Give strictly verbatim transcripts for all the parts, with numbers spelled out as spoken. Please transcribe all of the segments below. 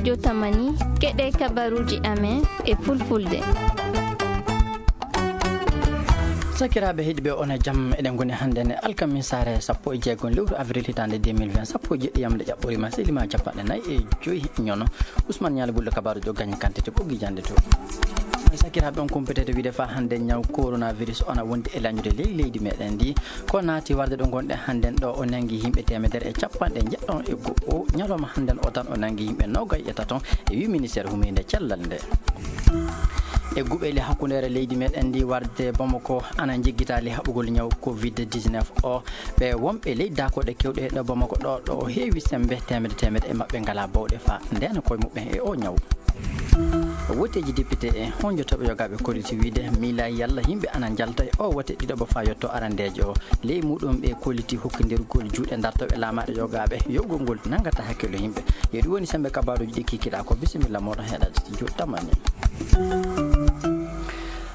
Jotamani, keɗee kabaruuji amen e fulfulde. Sakiraaɓe heɗiiɓe, on e jam. Eɗen ngoni hannde ne alkamisaare sappo e jeego lewru avril hitaande deux mille vingt, sappo e jeɗɗi yamnde ƴaɓɓoriima, selima cappanɗe nayi e joy ñono. Usman Ñaali Bullo, kabaaruuji o gañi kantite ɓoggi jannde to. Sakiraaɓe, on kumpitete wiide faa hannde ñaw coronavirus o ana wondi e lañude ley leydi meɗen ndi. Ko naati warde ɗo ngonɗen hannden ɗo, o nanngi yimɓe teemedere e cappanɗe njeɗɗo e go'o. Ñalawma hannden o tan o nanngi yimɓe noogay e tato, e wi ministeer humiinde cellal nde. E guɓeeli hakkundeere leydi meɗen ndi warde Bamako ana njiggitaali haɓugol ñaw covid dix-neuf o. Ɓe wonɓe ley daakoɗe kewɗe ɗo Bamako ɗo, ɗo o heewi sembe, teemedde teemedde e maɓɓe ngalaa bawɗe faa ndeena koye muɓɓen e o ñaw. Woteeji depite e honjotooɓe yogaaɓe kolliti wiide miilaa yalla yimɓe ana njalta e o wote ɗiɗaɓo faa yotto arandeejo o. Ley muuɗum ɓe kolliti hokkindirgol juuɗe dartooɓe laamaaɗe yogaaɓe yogol ngol nanngata hakkillo yimɓe. Yo ɗum woni semmbe kabaaruuji ɗi kikiɗaa ko. Bisimilla mooɗon heɗaade studio tamani.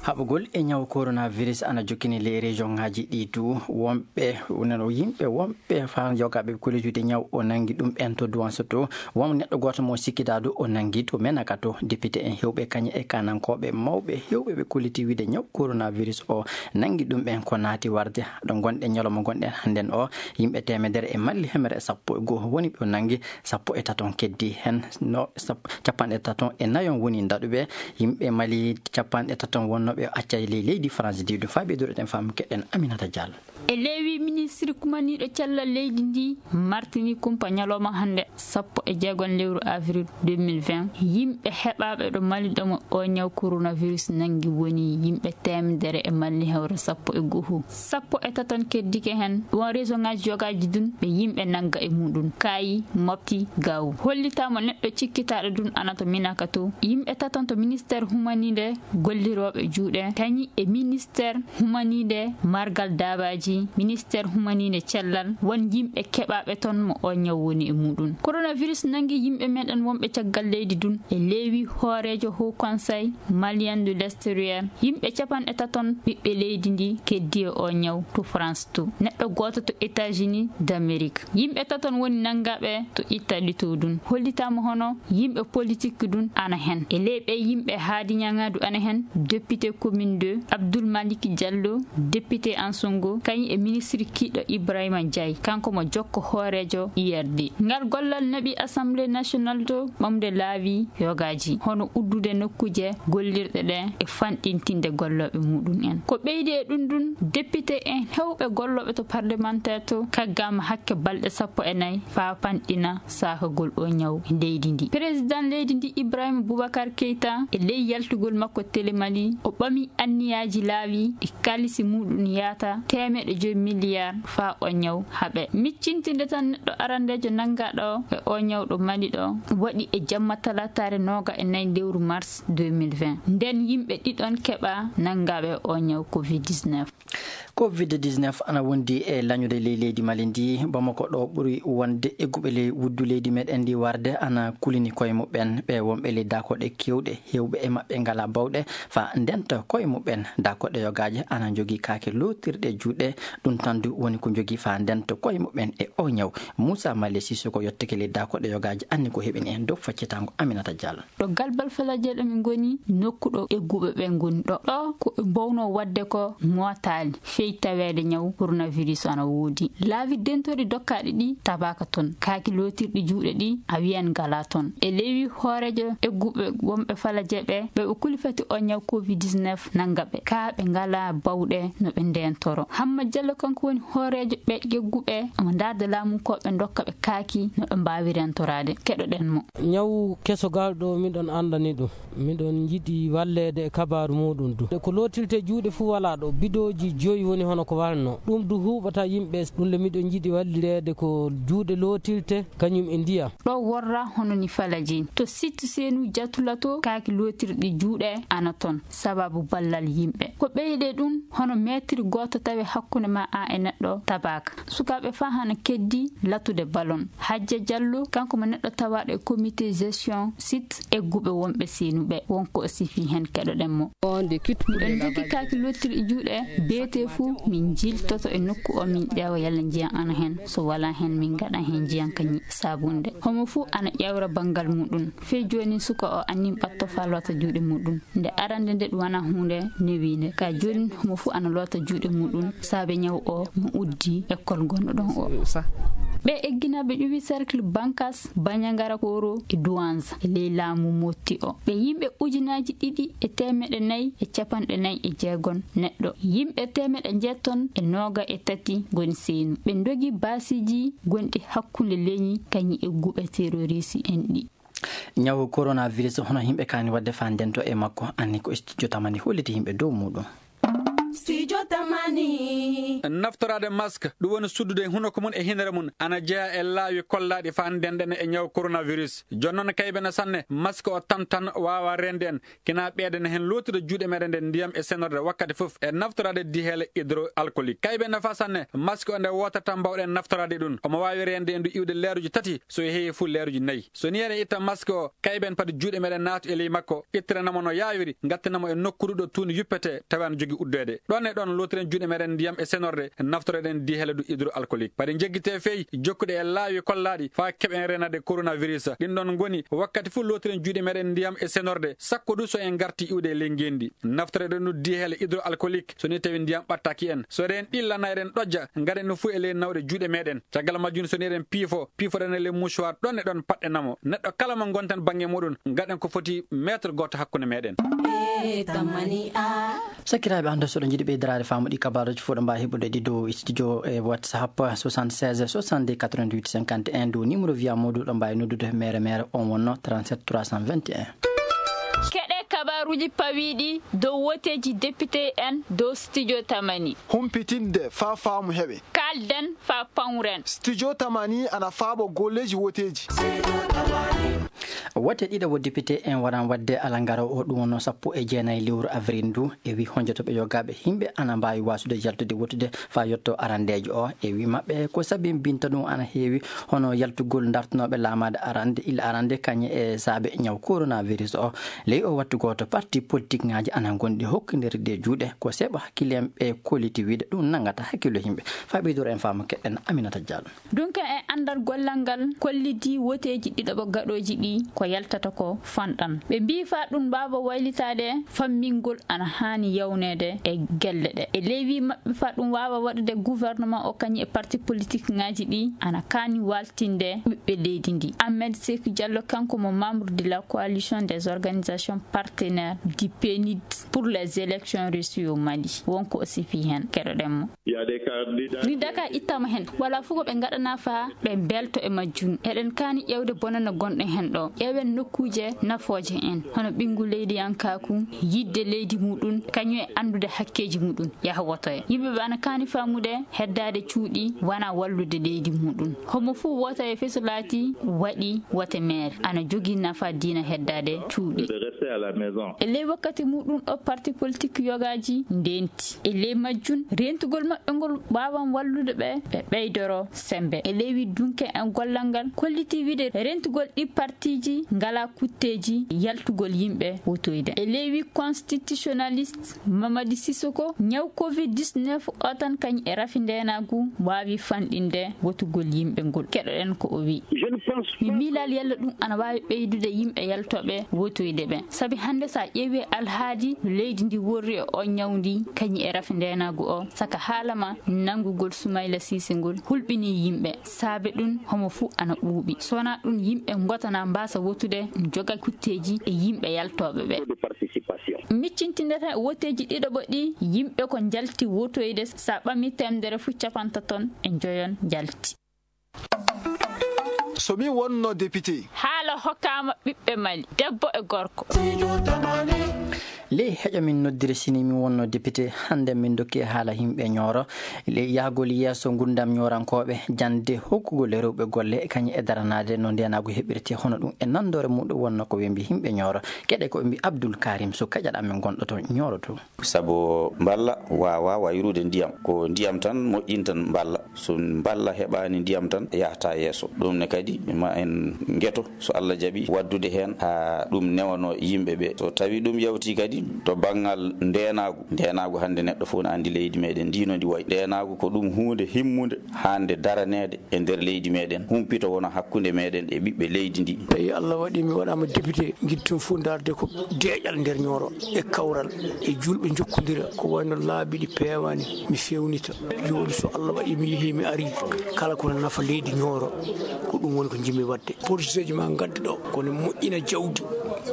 Haɓugol e ñaw coronavirus ana jokkini ley région ŋaaji ɗi du. Wonɓe, wonano yimɓe wonɓe faa yogaaɓe kollijude ñaw o nanngi ɗum ɓen to Duwanso to. Won neɗɗo gooto mo sikkidaa du o nanngi to Menaka to. Depite en heewɓe kañe e kaanankooɓe mawɓe heewɓe ɓe kolliti wiide ñaw coronavirus o nanngi ɗum ɓen. Ko naati warde ɗo ngonɗen ñalawma ngonɗen hannden o, yimɓe teemedere e malli hemere e sappo e go'o woni ɓe o nanngi, sappo e taton keddi hen no sap-, cappanɗe taton e nayon woni daɗuɓe. Yimɓe Mali cappanɗe taton wonnooɓe o accay ley leydi France diwde faa ɓeyduɗen faamu keɗen Aminata Diallo. E leewi ministiri kumaniiɗo cellal leydi ndi martini kumpa ñalawma hannde sappo e jeegom lewru avril deux mille vingt, yimɓe heɓaaɓe ɗo Mali ɗo mo o ñaw coronavirus nanngi woni yimɓe teemedere e malli hewre sappo e go'o. Sappo e taton keddike hen, won région ŋaaji yogaaji dun ɓe yimɓe nannga e muɗum. Kaayi, Mopti, Gaawu. Hollitaama neɗɗo cikkitaaɗo dun ana to Minaka to. Yimɓe taton to ministeer humaniinde gollirooɓe juuɗe, kañi e ministeer humaniinde margal daabaaji, ministeer humaniinde cellal, won yimɓe keɓaaɓe ton mo o ñaw woni e muɗum. Coronavirus nanngi yimɓe meɗen wonɓe caggal leydi dun e leewi hooreejo Haut Conseil Malien de l'Extérieur. Yimɓe capanɗe taton ɓiɓɓe leydi ndi keddi e o ñaw to France to. Neɗɗo gooto to États-Unis d'Amérique. Yimɓe taton woni nanngaaɓe to Italie to dun. Hollitaama hono yimɓe politik dun ana hen. E ley ɓee yimɓe haadi ñaŋaadu ana hen, député commune deux, Abdoul Malick Diallo, député Ansongo, kañum e ministre kiiɗo Ibrahima Ndiaye, kanko mo jokko hooreejo I R D. Ngal gollal naɓi Assemblée nationale to ɓamde laawi yogaaji, hono uddude nokkuuje gollirɗe ɗe e fanɗintinde gollooɓe muɗum en. Ko ɓeydi e ɗum ɗum, député en heewɓe gollooɓe to parlementaire to kaggaama hakke balɗe sappo e nayi faa fanɗina saakagol oo ñaw e leydi ndi. Président leydi ndi Ibrahima Boubacar Keita e ley yaltugol makko Télé Mali, o ɓami anniyaaji laawi ɗi kaalisi muɗum yaata teemeɗɗe joy miliyaar faa oo ñaw haɓe. Miccintinde tan neɗɗo arandeejo nanngaaɗo e oo ñaw ɗo Mali ɗo waɗi e jamma talaataare nooga e nayi lewru mars deux mille vingt. Nden yimɓe ɗiɗon keɓaa nanngaaɓe oo ñaw covid dix-neuf. Covid dix-neuf ana wondi e lañude ley leydi Mali ndi. Bamako ɗo ɓuri wonde egguɓe ley wuddu leydi meɗen ndi warde ana kulini koye muɓɓen. Ɓe wonɓe ley daakoɗe kewɗe, heewɓe e maɓɓe ngalaa bawɗe faa ndenta koye muɓɓen. Daakoɗe yogaaje ana njogii kaake lootirɗe juuɗe. Ɗum tan du woni ko njogii faa ndenta koye muɓɓen e oo ñaw. Muusa Male Sisoko yottike ley daakoɗe yogaaje anni ko heɓini en dow faccitaango Aminata Diallo. Ɗo Galbal Falaje ɗo min ngoni, nokku ɗo egguɓe ɓe ngoni ɗo. Ɗo ko ɓe mbawnoo waɗde ko mootaali fey taweede ñaw coronavirus ana woodi. Laawi dentorɗi dokkaaɗi ɗi tabaaka ton. Kaaki lootirɗi juuɗe ɗi a wiyan ngalaa ton. E leewi hooreejo egguɓe wonɓe Falaje ɓe, ɓe ɓe kuli fati oo ñaw covid dix-neuf nannga ɓe. Kaa ɓe ngalaa bawɗe no ɓe ndeentoro. Hamma Jallo kanko woni hooreejo ɓe egguɓe omo ndaarda laamunkooɓe ndokka ɓe kaaki no ɓe mbaawi reentoraade. Keɗoɗen mo. Ñaw keso gal ɗo miɗon anndani ɗum. Miɗon njiɗi walleede e kabaaru muuɗum du. Ko lootirte juuɗe fuu walaa ɗo. Bidooji joyi woni hono ko walno. Ɗum du huuɓata yimɓe. Ɗum le miɗon njiɗi wallireede ko juuɗe lootirte, kañum e ndiyam. Ɗo worra hono ni Falaje. To site seenu Jatula to, kaaki lootirɗi juuɗe ana ton, sababu ballal yimɓe. Ko ɓeyde ɗum, hono meetir gooto tawe hakkunde ma an e neɗɗo tabaaka. Sukaaɓe faa hana keddi latude balon. Hajja Jallo, kanko mo neɗɗo tawaaɗo e comité gestion site egguɓe wonɓe seenuɓe. Won ko o sifi hen, keɗoɗen mo. Miɗo njogii kaaki lottirɗi juuɗe, beetee fuu Min njiltoto e nokku oo, min ƴeewa yalla njiyan ana hen. So walaa hen, min ngaɗa hen njiyan kañun e saabunde. Homo fuu ana ƴeewra banngal muuɗun. Fey jooni, suka oo annin ɓatto faa loota juuɗe muuɗun. Nde arannde nde ɗun wanaa huunde newiinde. Kaa jooni, homo fuu ana loota juuɗe muuɗun saabe ñaw oo no uddii ekkol gonɗo ɗon oo. Ɓee egginaaɓe ƴuwi cercle Bankas, Bañangara Koro e Duwanza e ley laamu Motti oo. Ɓe yimɓe ujunaaji ɗiɗi e teemeɗɗe nayi e capanɗe nayi e jeegon neɗɗo. Yimɓe teemeɗɗe njeeton e nooga e tati ngoni seenu. Ɓe ndogi baasiiji gonɗi hakkunde leñi kañun e guɓe terorisi en ɗi. Ñaw coronavirus, hono yimɓe kaani waɗde faa ndento e makko, anni ko studio Tamani holliti yimɓe dow muuɗun. Studio Tamani. Naftoraade mask, ɗum woni suddude hunoko mum e hinnere mum, ana jeyaa e laawi kollaaɗi faa ndenɗen e ñaw coronavirus. Jooni noon, kaybe na sanne, mask o tan tan waawaa reende en, kina ɓeydana hen lootude juuɗe meɗen ɗe ndiyam e senorde wakkati fof, e naftoraade diheele hydroalcoolique. Kaybe nafa sanne, mask o nde wootata mbawɗen naftoraade ɗum. Omo waawi reende en du iwde leeruji tati, so heewi fof leeruji nayi. So nii eɗen itta mask o, kayben pati juuɗe meɗen naata e ley makko, ittiranamo no yaawiri, ngattinamo e nokkuuru ɗo tuundi yuppetee, tawi ana jogii uddeede. Ɗon e ɗon lootiren juuɗe meɗen ndiyam e senorde, naftoroɗen diheele du hydroalcoolique. Pati njeggitee fey, jokkude e laawi kollaaɗi, faa keɓen reenaade coronavirus. Ɗin ɗon ngoni, wakkati fof lootiren juuɗe meɗen ndiyam e senorde, sakko du so en ngartii iwde e ley ngeenndi. Naftoroɗen du diheele hydroalcoolique, so nii tawi ndiyam ɓattaaki en. So eɗen ɗilla naa eɗen ɗojja, ngaɗen ɗum fof e ley nawɗe juuɗe meɗen. Caggal majjum, so nii eɗen piifo, piifoɗen e ley mouchoir, ɗon e ɗon paɗɗen mo. Neɗɗo kala mo ngonten bannge muɗum, ngaɗen ko foti mètre gooto hakkunde meɗen. Sakiraaɓe, hannde so ɗon njiɗi ɓeydiraade faamu ɗi kabaaruuji fof, ɗo mbaawi heɓude ɗi dow studio e WhatsApp soixante-seize soixante-deux quatre-vingt-huit cinquante et un, dow numéro via Moodu, ɗo mbaawi noddude mere mere, on wonno trente-sept trois cent vingt et un. Keɗe kabaaruuji pawiiɗi dow wooteeji député en dow studio Tamani. Humpitinde faa faamu heɓe. Kaalden faa pawren. Studio Tamani ana faabo golleeji wooteeji. Woote ɗiɗaɓo député en waran waɗde alarba oo, ɗum wonno sappo e jeenayi lewru avril ndu. E wii honjotoɓe yogaaɓe yimɓe ana mbaawi waasude yaltude wootude faa yetto arandeejo oo. E wii maɓɓe ko sabinbinta ɗum ana heewi, hono yaltugol dartinooɓe laamaade arande, illa arande kañe e saabe ñaw coronavirus oo. Ley oo wattu gooto, parti politique ŋaaji ana ngonɗi hokkindirde juuɗe. Ko seeɓa hakkille en ɓe kolliti wiide ɗum nanngata hakkillo yimɓe. Faa ɓeydoro en faamu, keɗen Aminata Diallo. Dunke e anndal gollal ngal kolliti wooteeji ɗiɗaɓo gaɗooji ɗi ko yaltata ko fanɗan. Ɓe mbii faa ɗum mbaawa waylitaade, fammingol ana haani yawneede e gelle ɗe. E ley wii maɓɓe, faa ɗum waawa waɗude, gouvernement o kañum e parti politique ŋaaji ɗi ana kaani waaltinde ɓiɓɓe leydi ndi. Ahmed Sekou Diallo, kanko mo membre de la coalition des organisations partenaires du PNUD pour les élections réussies au Mali, won ko o sifii heen. Keɗoɗen mo. Ni daka ittama hen, walaa fof ko ɓe ngaɗanaa faa ɓe mbelto e majjum. Eɗen kaani ƴeewde bonannde gonɗo hen ɗoo. Ƴeewen nokkuuje nafooje en, hono ɓinngu leydiyankaaku, yiɗde leydi muɗum, kañum e anndude hakkeeji muɗum, yaha wotoya. Yimɓe ɓe ana kaani faamude heddaade cuuɗi wanaa wallude leydi muɗum. Homo fuu wotoya fey so laatii waɗii wote maire, ana jogii nafa diina heddaade cuuɗi. E ley wakkati muɗum ɗoo, parti politique yogaaji ndeenti. E ley majjum, rentugol maɓɓe ngol waawan wallude ɓe, ɓe ɓeydoro semmbe. E ley wii dunke en gollal ngal kollitii wiide rentugol ɗii partiiji ngalaa kutteeji yaltugol yimɓe wotoyde. E ley wii constitutionnaliste Mamadi Sissoko, ñaw covid dix-neuf oo tan kañum e rafi ndeenaagu waawi fanɗinde wotugol yimɓe ngol. Keɗoɗen ko o wii. Mi miilaali yalla ɗum ana waawi ɓeydude yimɓe yaltooɓe wotoyde ɓe. Sabi hannde, so a ƴeewii alhaali no leydi ndi worri e oo ñaw ndi, kañum e rafi ndeenaagu oo, saka haala maa nanngugol Sumayla Siise ngol hulɓinii yimɓe. Saabe ɗum, homo fuu ana ɓuuɓi. So wanaa ɗum, yimɓe ngoota na mbaasa wotude, joga kutteeji e yimɓe yaltooɓe ɓe. Miccintindeten woteeji ɗiɗaɓo ɗii, yimɓe ko njalti wotoyde, so a ɓamii teemedere fuu, capanɗe tati e njoyon njalti. So mi wonno député. Haala hokkaama ɓiɓɓe Mali, debbo e gorko. Ley heƴa min noddiri, sini mi wonno député, hannde min ndokki e haala yimɓe Ñooro. Ley yahgol yeeso ngurndam ñoorankooɓe, jannde, hokkugol e rewɓe golle, kañum e daranaade no ndeenaagu heɓirtee, hono ɗum e nanndoore muɗum wonno ko wembi yimɓe Ñooro. Keɗe ko wembi Abdul Karim Sow, kaƴaɗo amen gonɗo to Ñooro to. Sabu mballa waawaa wayrude ndiyam. Ko ndiyam tan moƴƴinta mballa. So mballa heɓaani ndiyam tan, yahataa yeeso. Ɗum ne kadi, ma en ngeto, so Alla jaɓii, waɗdude heen haa ɗum newanoo yimɓe ɓe. So tawii ɗum yawtii kadi, To banngal ndeenaagu, ndeenaagu hannde neɗɗo fof no anndi leydi meɗen ndi no ndi wayi. Ndeenaagu ko ɗum huunde himmunde haande daraneede e nder leydi meɗen, humpito wona hakkunde meɗen e ɓiɓɓe leydi ndi. Tawi Allah waɗi mi waɗaama député, ngiɗ tun fof ndaarde ko deeƴal nder Ñooro e kawral e juulɓe njokkondira ko wayno laabi ɗi peewaani, mi feewnita. Jooni so Allah waɗi mi yehii mi arii, kala ko nafa leydi Ñooro, ko ɗum woni ko njiɗmi waɗde. Porositeeji maa ngadda ɗo, kono moƴƴina jawdi,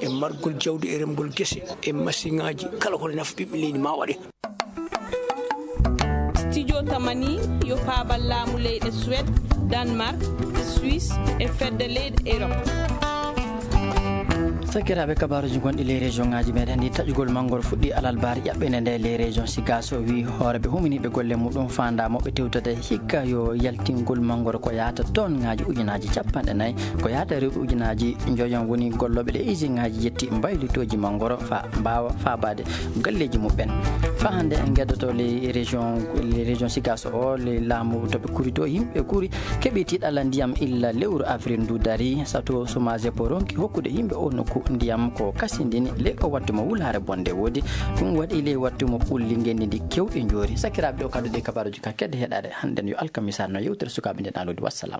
e margol jawdi, e remgol gese, e masiŋaaji, kala ko nafa ɓiɓɓe leydi maa waɗe. Studio Tamani yo paabal laamu leyɗe Suwed, Danmark, Suisse e fedde leyɗe Erop. Sakiraaɓe, kabaaruuji gonɗi ley région ŋaaji meɗen ɗi, taƴugol manngoro fuɗɗii alarba ƴaɓɓende nde. Ley région Sigaso wii hooreeɓe huminiiɓe golle muɗum faandaa mo ɓe tewtata hikka yo yaltingol manngoro ko yahata tonŋaaji ujunaaji cappanɗe nayi, ko yahata rewɓe ujunaaji njoyon woni gollooɓe ɗe isinŋaaji jetti mbaylitooji manngoro faa mbaawa faabaade galleeji muɓɓen. Faa hannde en ngeddotoo ley région, ley région Sigaso o, ley laamu to ɓe kuri to, yimɓe kuri keɓii tiiɗalla ndiyam illa lewru avril ndu darii. Sato Somazepo ronki hokkude yimɓe oo nokku ndiyam ko kasindini ley oo wattu mo wulaare bonnde woodi. Ɗum waɗi ley wattu mo ɓulli ngenndi ndi keewɗi njoori. Sakiraaɓe, ɗo kaddu ɗi kabaaruuji ka kedde heɗaade hannden yo alkamisa no yewtere sukaaɓe nden alodi. Wassalam.